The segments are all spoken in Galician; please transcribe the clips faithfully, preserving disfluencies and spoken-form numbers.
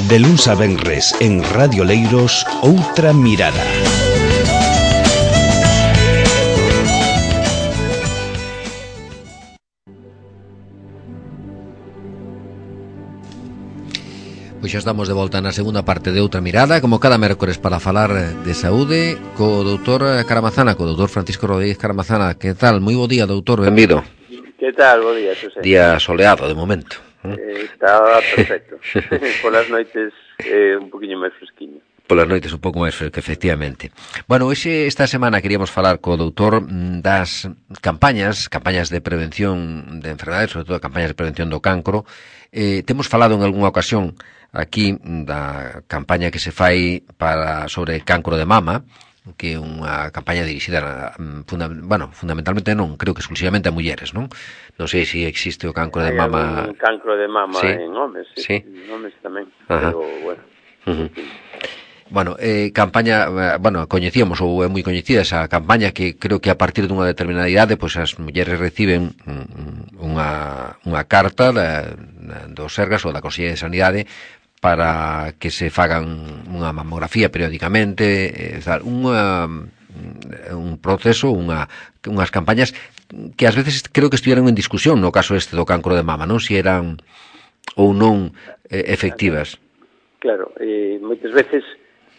De luns a venres en Radio Leiros, Outra Mirada. Pois xa estamos de volta na segunda parte de Outra Mirada, como cada mércores, para falar de saúde co doutor Caramazana, co doutor Francisco Rodríguez Caramazana. Que tal? Moi bo día, doutor, benvido. Que tal? Bo día, Xosé. Día soleado, de momento. Eh, está perfecto. Polas noites eh, un poquinho máis fresquiño. Polas noites un pouco máis fresco, efectivamente. Bueno, hoxe, esta semana queríamos falar co doutor das campañas, campañas de prevención de enfermedades, sobre todo campañas de prevención do cancro. Eh, temos falado en algunha ocasión aquí da campaña que se fai para sobre cancro de mama, que é unha campaña dirixida funda, bueno, fundamentalmente non, creo que exclusivamente a mulleres, non? Non sei se existe o cancro de mama. Hai un cancro de mama ¿Sí? en homes, sí, ¿Sí? en homes tamén, Ajá. pero bueno. Uh-huh. Bueno, eh, campaña, bueno, coñecíamos ou é moi coñecida esa campaña que creo que a partir dunha determinada idade, pois as mulleres reciben unha, unha carta da, da, do Sergas ou da Consellería de Sanidade para que se fagan unha mamografía periódicamente, eh, unha, un proceso, unha, unhas campañas que ás veces creo que estiveron en discusión no caso este do cancro de mama, non? Si eran ou non eh, efectivas. Claro, eh, moitas veces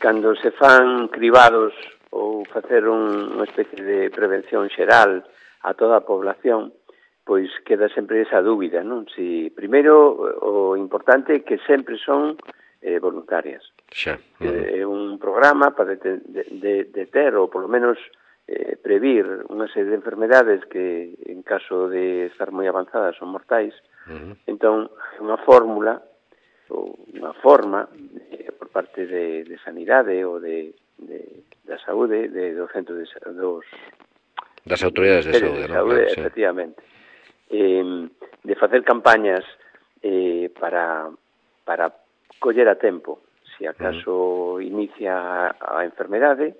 cando se fan cribados ou facer un, unha especie de prevención xeral a toda a población, pois queda sempre esa dúbida, non? Si, primeiro, o importante é que sempre son eh, voluntarias. Xa. Uh-huh. É un programa para de, de, de ter, ou polo menos eh, previr unha serie de enfermedades que, en caso de estar moi avanzadas, son mortais. Uh-huh. Entón, unha fórmula ou unha forma eh, por parte de, de sanidade ou de, de, da saúde, de, do centro de, dos das autoridades de, de saúde, de saúde, ¿no? efectivamente. Eh, de facer campañas eh, para, para coller a tempo, se acaso uh-huh. inicia a enfermedade,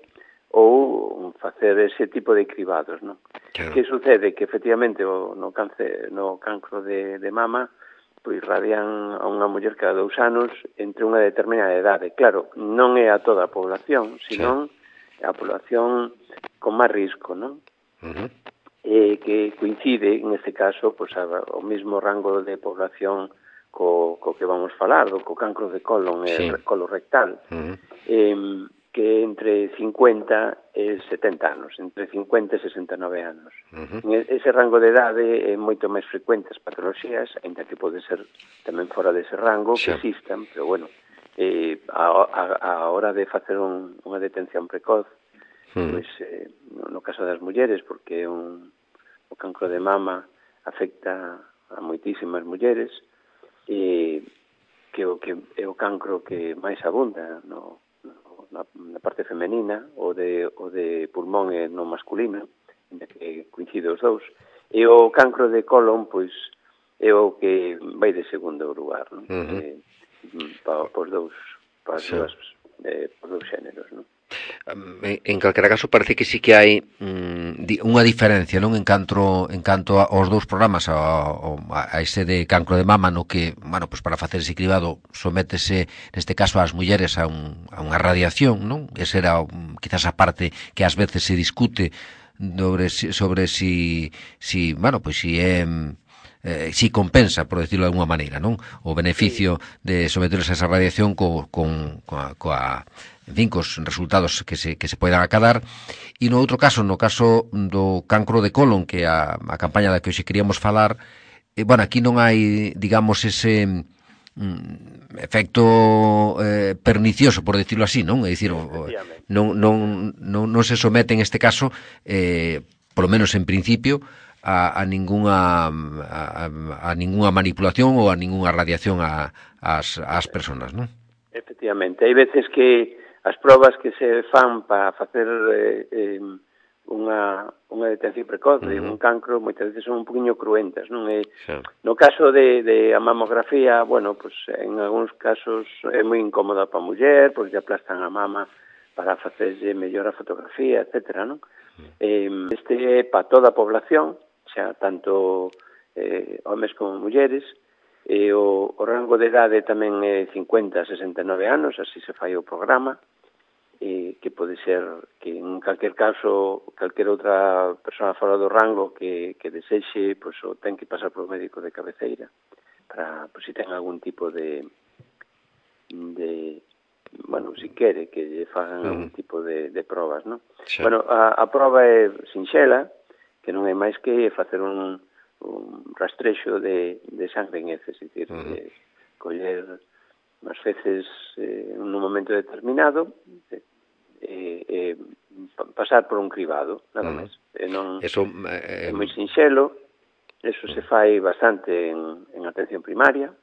ou facer ese tipo de cribados, non? Claro. Que sucede? Que efectivamente o, no, cáncer, no cancro de, de mama pois radian a unha muller cada dous anos entre unha determinada idade. Claro, non é a toda a población, senón sí. a población con máis risco, non? Uh-huh. Eh, que coincide, en este caso, pois, a, o mismo rango de población co, co que vamos falar, do co cancro de colon sí. e colorectal, uh-huh. eh, que entre cincuenta e setenta anos, entre cincuenta e sesenta e nove anos. Uh-huh. Ese rango de idade é moito máis frecuente as patologías, ainda que pode ser tamén fora dese rango, sí. que existan, pero bueno, eh, a, a, a hora de facer un, unha detención precoz, uh-huh. pois, eh, no, no caso das mulleres, porque un, o cancro de mama afecta a moitísimas mulleres, eh, que o que é o cancro que máis abunda no Na, na parte femenina, o de, o de pulmón e no masculino, que coincide os dous, e o cancro de colon, pois, é o que vai de segundo lugar, non? Uh-huh. Eh, pa, pos dous, pa sí. dúas, eh, pos dous xéneros, non? En calquera caso parece que sí que hai mm, unha diferencia, non, en canto en canto aos dous programas, a, a, a ese de cancro de mama, no que, bueno, pues para facer ese cribado sométese neste caso ás mulleres a, un, a unha radiación, non? Esa era quizás a parte que ás veces se discute sobre sobre si si, bueno, pois pues si é eh, si compensa, por decirlo de alguma maneira, non? O beneficio de someterse a esa radiación co, con coa, coa en fin, cos resultados que se, que se poidan acadar. E no outro caso, no caso do cancro de colon, que é a, a campaña da que hoxe queríamos falar, eh, bueno, aquí non hai, digamos, ese mm, efecto eh, pernicioso, por decirlo así, non? É dicir, o, non, non, non, non se somete en este caso, eh, polo menos en principio, a, a ningunha a, a ningunha manipulación ou a ningunha radiación a, as, as personas, non? Efectivamente, hai veces que as probas que se fan para facer eh, eh, unha, unha detención precoz de uh-huh. un cancro moitas veces son un poquinho cruentas, non é? Sí. No caso de, de a mamografía, bueno, pues en algúns casos é moi incómoda para a muller, porque aplastan a mama para facerlle mellor a fotografía, etcétera, non? Uh-huh. Eh, este é para toda a población, xa tanto eh, homes como mulleres, E o, o rango de idade tamén é cincuenta a sesenta e nove anos, así se fai o programa, e que pode ser que en calquer caso, calquer outra persona fora do rango que, que desexe, pois, o ten que pasar por un médico de cabeceira, para, pois, se ten algún tipo de, de bueno, si quere que lle fagan uh-huh. algún tipo de, de probas, non? Sí. Bueno, a, a proba é sinxela, que non é máis que facer un un rastrexo de, de sangre en heces, é dicir, uh-huh. de coller as feces eh, en un momento determinado e eh, eh, pasar por un cribado, nada uh-huh. máis. E non, eso, eh, é moi sinxelo, eso uh-huh. se fai bastante en, en atención primaria,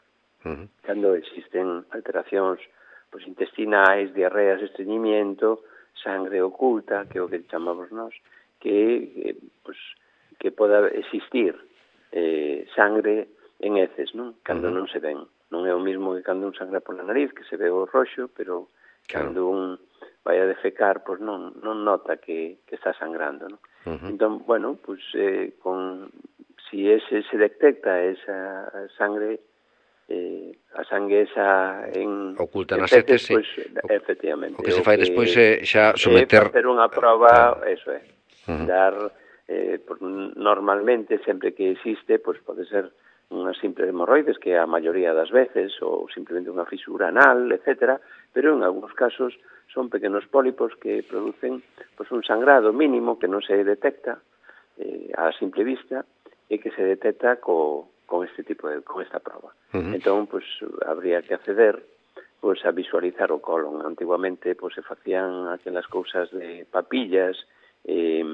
uh-huh. cando existen alteracións pues, intestinais, diarreas, estreñimiento, sangre oculta, que é o que chamamos nós, que, eh, pues, que poda existir eh, sangre en heces, non? Cando uh-huh. non se ven. Non é o mismo que cando un sangra pola nariz, que se ve o roxo, pero claro. cando un vai a defecar, pois non, non nota que, que está sangrando, non? Uh-huh. Entón, bueno, pois eh, con si ese se detecta esa sangre, eh, a sangue esa en oculta nas heces, pois, sí. efectivamente. O que se fai despois é xa someter... É facer unha prova, uh, eso é, uh-huh. dar... Eh, pues, normalmente, sempre que existe, pues, pode ser unha simple hemorroides, que a maioría das veces, ou simplemente unha fisura anal, etcétera, pero en algúns casos son pequenos pólipos que producen pues, un sangrado mínimo que non se detecta eh, a simple vista e que se detecta co, con este tipo de, con esta prova. Uh-huh. Entón, pues, habría que acceder pues, a visualizar o colon. Antiguamente pues, se facían aquelas cousas de papillas, eh,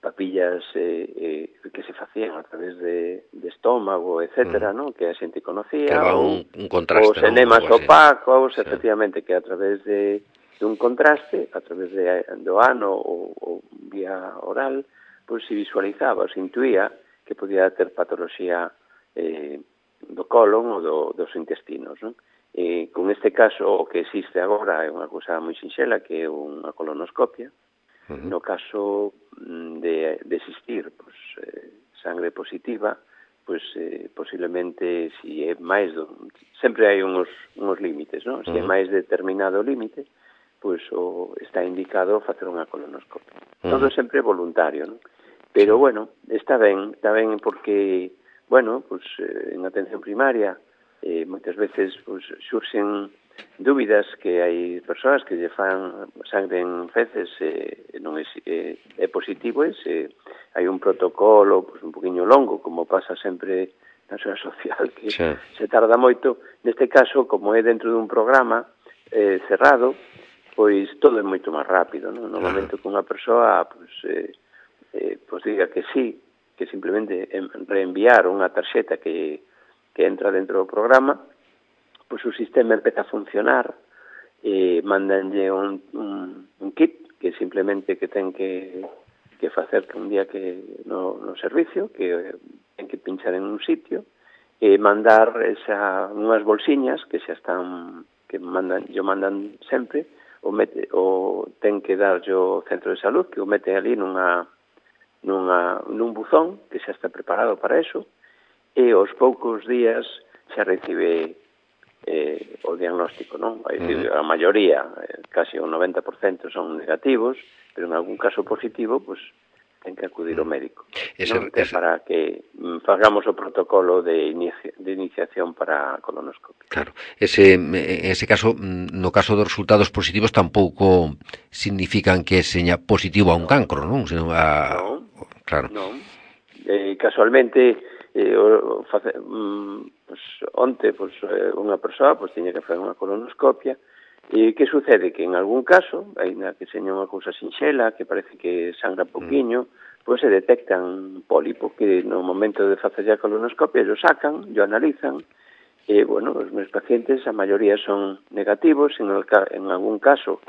papillas eh, eh, que se facían a través de, de estómago, etcétera, mm. ¿no? Que a xente conocía, que ou, un, un contraste, os enemas ¿no? opacos, sí. efectivamente, que a través de, de un contraste, a través de, do ano ou, ou vía oral, pues se visualizaba, se intuía que podía ter patoloxía eh, do colon ou do, dos intestinos, ¿no? E con este caso, o que existe agora é unha cousa moi sinxela, que é unha colonoscopia. Uh-huh. No caso de, de existir pues, eh, sangre positiva, pues eh, posiblemente si é máis do, sempre hai uns, uns límites, ¿no? Se uh-huh. é máis determinado límite, pues o, está indicado facer unha colonoscopia. Uh-huh. Todo sempre voluntario, ¿no? Pero sí. bueno, está ben, está ben porque, bueno, pues eh, en atención primaria eh, moitas veces pues, xurxen dúbidas que hai persoas que lle fan sangre en feces e eh, non é, eh, é positivo e se hai un protocolo pues, un poquinho longo, como pasa sempre na súa social, que sí. se tarda moito. Neste caso, como é dentro dun programa eh, cerrado, pois todo é moito máis rápido, non? No momento que unha persoa pues, eh, eh, pues diga que sí, que simplemente reenviar unha tarxeta que, que entra dentro do programa, pois o sistema empeza a funcionar e mandanlle un, un, un kit que simplemente que ten que, que facer que un día que no, no servicio, que ten que pinchar en un sitio e mandar esa, unhas bolsiñas que xa están, que mandan, yo mandan sempre, o, mete, o ten que dar yo centro de salud, que o mete ali nunha, nunha, nun buzón que xa está preparado para eso, e aos poucos días xa recibe eh, o diagnóstico, non? Uh-huh. A maioría, eh, casi un noventa por cento son negativos, pero en algún caso positivo, pues ten que acudir ao médico, ese, non? Ese... para que mm, fagamos o protocolo de, inicia, de iniciación para a colonoscopia. Claro, ese, en ese caso, no caso dos resultados positivos tampouco significan que seña positivo a un no. cancro, non? Sino a... Non, claro. non. Eh, casualmente, eh, o, face, mm, pues, onte pues, eh, unha persoa pues, tiña que facer unha colonoscopia e que sucede? Que en algún caso, ainda que seña unha cousa sinxela, que parece que sangra poquinho, mm. pois pues, se detectan un pólipo que no momento de facer a colonoscopia lo sacan, lo analizan e, bueno, os meus pacientes a maioría son negativos, en, el, en algún caso,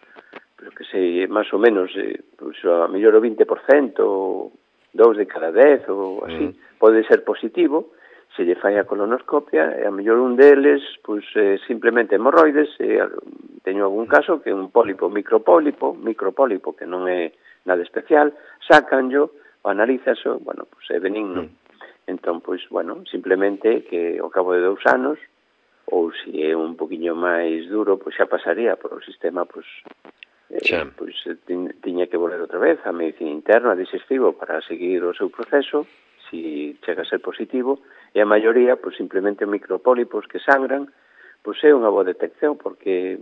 pero que sei, máis ou menos, eh, pues, a mellor o vinte por cento, dous de cada dez ou así, mm. pode ser positivo, se lle fai a colonoscopia, e a mellor un deles, pois, eh, simplemente hemorroides, e teño algún caso que é un pólipo, micropólipo, micropólipo, que non é nada especial, sacanllo, o analízaso, bueno, pois é benigno. Mm. Entón, pois, bueno, simplemente que ao cabo de dous anos, ou se é un poquinho máis duro, pois xa pasaría por o sistema, pois, eh, pois tiña que volver outra vez a medicina interna, digestivo, para seguir o seu proceso, si chega a ser positivo, e a maioría, pois, simplemente micropólipos que sangran, pois é unha boa detección, porque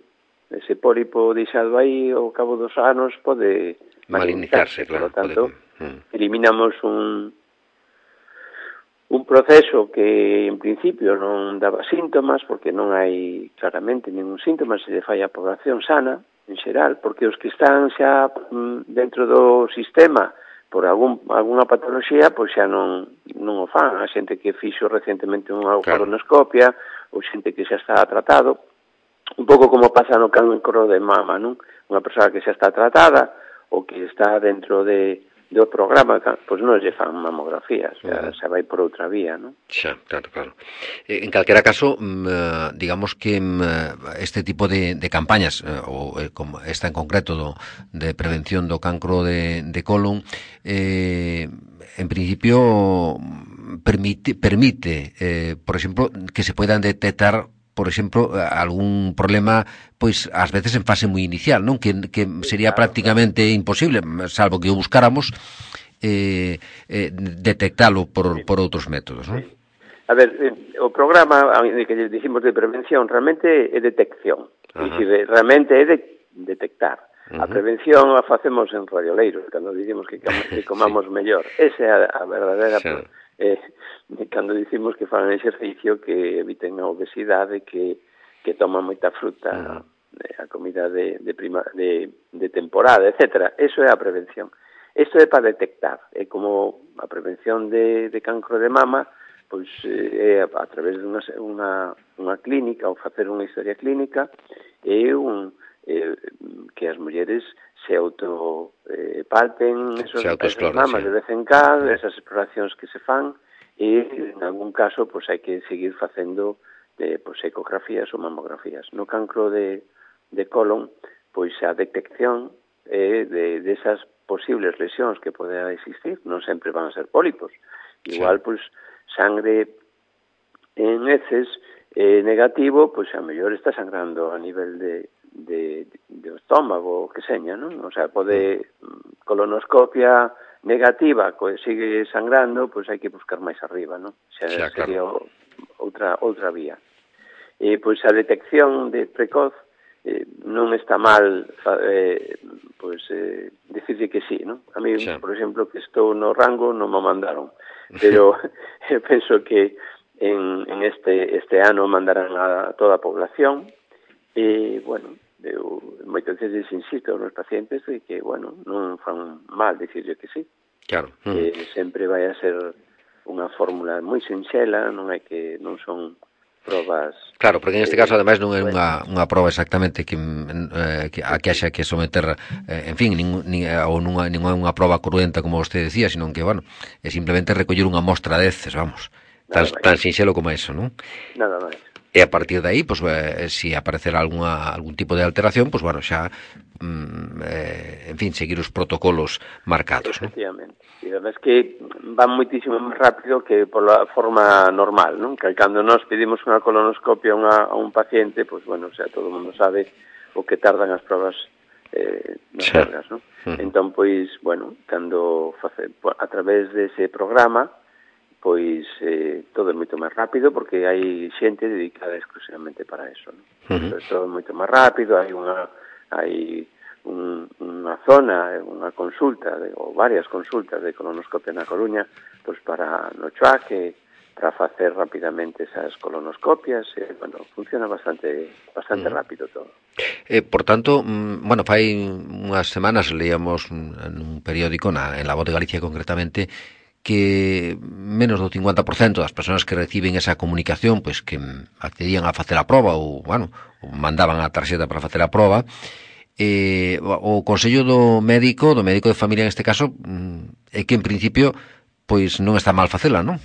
ese pólipo deixado aí ao cabo dos anos pode maliniciarse, claro, por lo tanto, pode... eliminamos un un proceso que en principio non daba síntomas, porque non hai claramente ningún síntoma, se lle fai a población sana, en xeral, porque os que están xa dentro do sistema por algún, alguna patoloxía, pois xa non, non o fan. A xente que fixo recentemente unha colonoscopia, ou xente que xa está tratado, un pouco como pasa no cancro de mama, non? Unha persoa que xa está tratada, ou que está dentro de do programa, pois non lle fan mamografías, xa, xa vai por outra vía, non? Xa, claro, claro. En calquera caso, digamos que este tipo de, de campañas, ou como esta en concreto do, de prevención do cancro de, de colon, eh, en principio permite, permite eh, por exemplo, que se puedan detectar por exemplo, algún problema, pois, ás veces en fase moi inicial, non? Que, que sería claro, prácticamente claro. imposible, salvo que o buscáramos, eh, eh, detectalo por, sí. por outros métodos, non? Sí. A ver, eh, o programa que dicimos de prevención realmente é detección. Dicir, realmente é de detectar. Uh-huh. A prevención a facemos en radioleiros, cando dicimos que, que comamos sí. mellor. Esa é a, a verdadeira... Sí. Eh, cando dicimos que fan exercicio, que eviten a obesidade, que, que toman moita fruta, uh-huh. a comida de, de, prima, de, de temporada, etcétera. Eso é a prevención. Isto é para detectar. É como a prevención de, de cancro de mama, pois é a, a través de unha, unha, unha clínica, ou facer unha historia clínica, é un... Eh, que as mulleres se auto eh, palpen esos, esas mamas de vez en cando, esas exploracións que se fan, e en algún caso pois hai que seguir facendo eh, pois, ecografías ou mamografías. No cancro de, de colon, pois a detección eh, de, de esas posibles lesións que poden existir, non sempre van a ser pólipos. Igual, sí. pois, sangre en heces eh, negativo, pois a mellor está sangrando a nivel de de, de estómago, que seña, non? O sea, pode colonoscopia negativa, que sigue sangrando, pois hai que buscar máis arriba, non? Xa, xa sería claro. outra outra vía. E pois a detección de precoz eh, non está mal eh, pois eh, dicirlle que sí, non? A mí, xa. por exemplo, que estou no rango, non me mandaron, pero eu penso que en, en este este ano mandarán a toda a población. E, bueno, eu moitas veces insisto nos pacientes de que, bueno, non fan mal dicirlle que sí. Claro. Que mm. sempre vai a ser unha fórmula moi sinxela, non hai que non son probas... Claro, porque en este eh, caso, ademais, non é unha, unha proba exactamente que, eh, que a que haxa que someter, eh, en fin, nin, nin, ou non é unha proba cruenta, como vostede decía, sino que, bueno, é simplemente recoller unha mostra de heces, vamos, tan, tan sinxelo como eso, non? Nada máis. E a partir de aí, pues, eh, si aparecer alguna, algún tipo de alteración, pues bueno, xa, mm, eh, en fin, seguir os protocolos marcados, ¿no? Efectivamente. E además que van moitísimo máis rápido que por la forma normal, ¿no? Que cando nos pedimos unha colonoscopia a un paciente, pues bueno, o sea, todo o mundo sabe o que tardan as probas eh, nas cargas, ¿no? Uh-huh. Entón, pois, bueno, cando face, a través dese programa, pois eh, todo é moito máis rápido porque hai xente dedicada exclusivamente para eso, non? Uh-huh. Todo é moito máis rápido, hai unha hai un, unha zona, unha consulta de, ou varias consultas de colonoscopia na Coruña, pois para no Choaque, para facer rapidamente esas colonoscopias, e, bueno, funciona bastante bastante uh-huh. rápido todo. Eh, por tanto, mm, bueno, fai unhas semanas leíamos en un periódico, na, en La Voz de Galicia concretamente, que menos do cincuenta por cento das persoas que reciben esa comunicación, pois que accedían a facer a proba ou, bueno, ou mandaban a tarxeta para facer a proba, eh, o consello do médico, do médico de familia en este caso, é que en principio pois non está mal facela, non?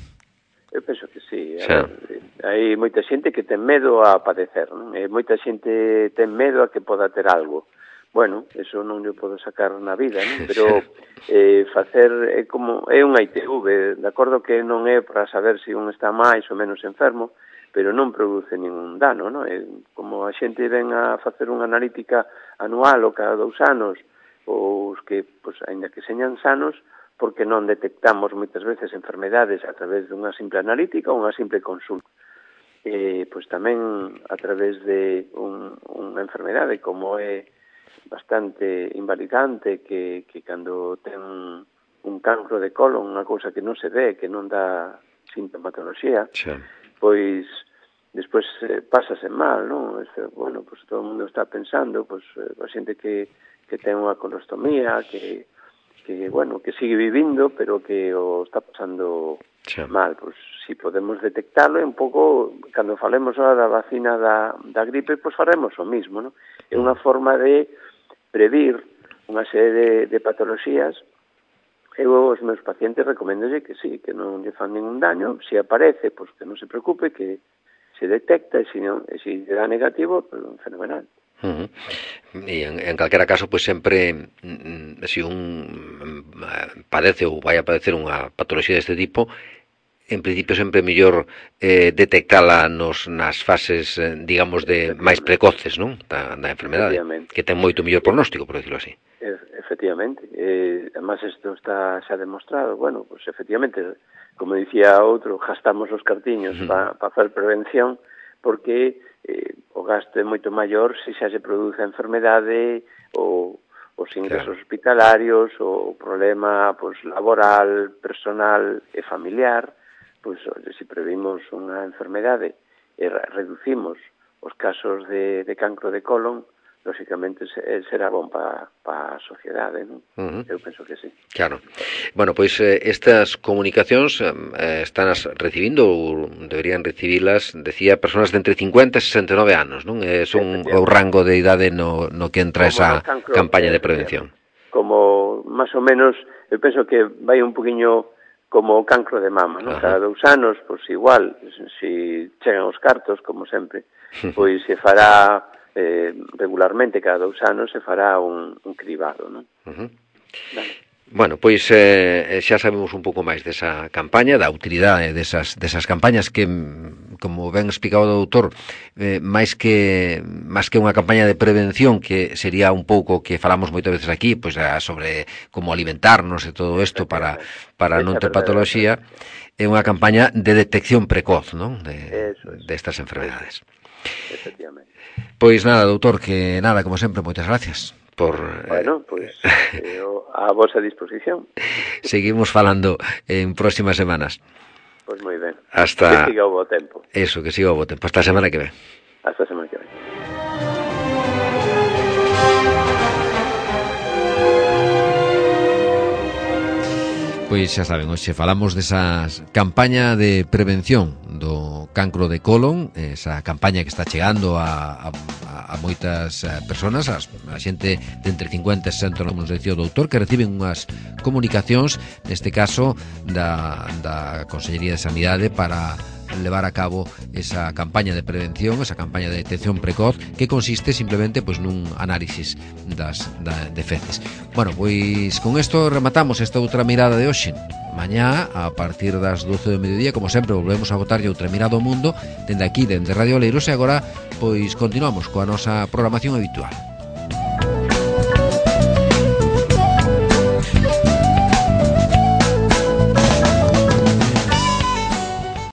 Eu penso que sí. A ver, hai moita xente que ten medo a padecer, non? E moita xente ten medo a que poda ter algo. bueno, eso non lle podo sacar na vida, non? Pero eh, facer é como é un I T V, de acordo que non é para saber se un está máis ou menos enfermo, pero non produce ningún dano, non? É como a xente ven a facer unha analítica anual ou cada dous anos, ou os que, pois, ainda que señan sanos, porque non detectamos moitas veces enfermedades a través dunha simple analítica ou unha simple consulta. Eh, pois tamén a través de un, unha enfermedade como é bastante invalidante, que, que cando ten un cancro de colon, unha cousa que non se ve, que non dá sintomatoloxía, sí. Pois despois eh, pásase mal, non? Este, bueno, pois todo o mundo está pensando, pois a xente que, que ten unha colostomía, que, que, bueno, que sigue vivindo, pero que o está pasando sí. mal. Pois si podemos detectalo, un pouco, cando falemos ahora da vacina da, da gripe, pois faremos o mismo, non? É unha forma de previr unha serie de, de patoloxías. Eu aos meus pacientes recomendolle que sí, que non lle fan ningún daño, se aparece, pois que non se preocupe, que se detecta, e se, non, e se dá negativo, pues, fenomenal. Uh-huh. E en, en calquera caso, pois pues, sempre mm, se un mm, padece ou vai a padecer unha patoloxía deste tipo, en principio sempre é mellor eh, detectala nos, nas fases, eh, digamos, de máis precoces, non? Da, da enfermedade, que ten moito mellor pronóstico, por decirlo así. Efectivamente, eh, además isto está xa demostrado, bueno, pues efectivamente, como dicía outro, gastamos os cartiños uh-huh. para pa facer prevención, porque eh, o gasto é moito maior se xa se produce a enfermedade ou os ingresos claro. hospitalarios, o problema pues, laboral, personal e familiar, pois pues, se previmos unha enfermedade e reducimos os casos de, de cancro de colon, lógicamente será bon para pa a sociedade, non? Uh-huh. Eu penso que sí. Claro. Bueno, pois eh, estas comunicacións eh, están as recibindo ou deberían recibilas, decía, personas de entre cincuenta e sesenta e nove anos, non? É son o rango de idade no, no que entra como esa cancro, campaña de prevención. Como, máis ou menos, eu penso que vai un poquinho como o cancro de mama, non? Uh-huh. Cada dous anos, pois igual, se chegan os cartos, como sempre, pois se fará Eh, regularmente, cada dous anos, se fará un, un cribado, non? Uh-huh. Vale. Bueno, pois eh, xa sabemos un pouco máis desa campaña, da utilidade desas, desas campañas que, como ben explicado o doutor, eh, máis que máis que unha campaña de prevención, que sería un pouco que falamos moitas veces aquí, pois sobre como alimentarnos e todo isto para, para non ter patoloxía, é unha campaña de detección precoz, non? De, destas enfermedades. Efectivamente. Pois nada, doutor, que nada, como sempre, moitas gracias por... Bueno, pois eh, a vosa disposición. Seguimos falando en próximas semanas. Pois moi ben. Hasta... Que siga o bo tempo. Eso, que siga o bo tempo. Hasta a semana que ven. Hasta a semana que ven. Pois xa saben, hoxe falamos desa campaña de prevención do cancro de colon, esa campaña que está chegando a, a, a moitas persoas, a, a xente de entre cincuenta e sesenta, como nos decía o doutor, que reciben unhas comunicacións, neste caso da, da Consellería de Sanidade, para levar a cabo esa campaña de prevención, esa campaña de detección precoz, que consiste simplemente pois nun análisis das da, de feces. Bueno, pois con isto rematamos esta outra mirada de hoxe. Mañá, a partir das doce do mediodía, como sempre, volvemos a botarlle outra mirada ao mundo dende aquí, dende Radio Oleiros, e agora pois continuamos coa nosa programación habitual.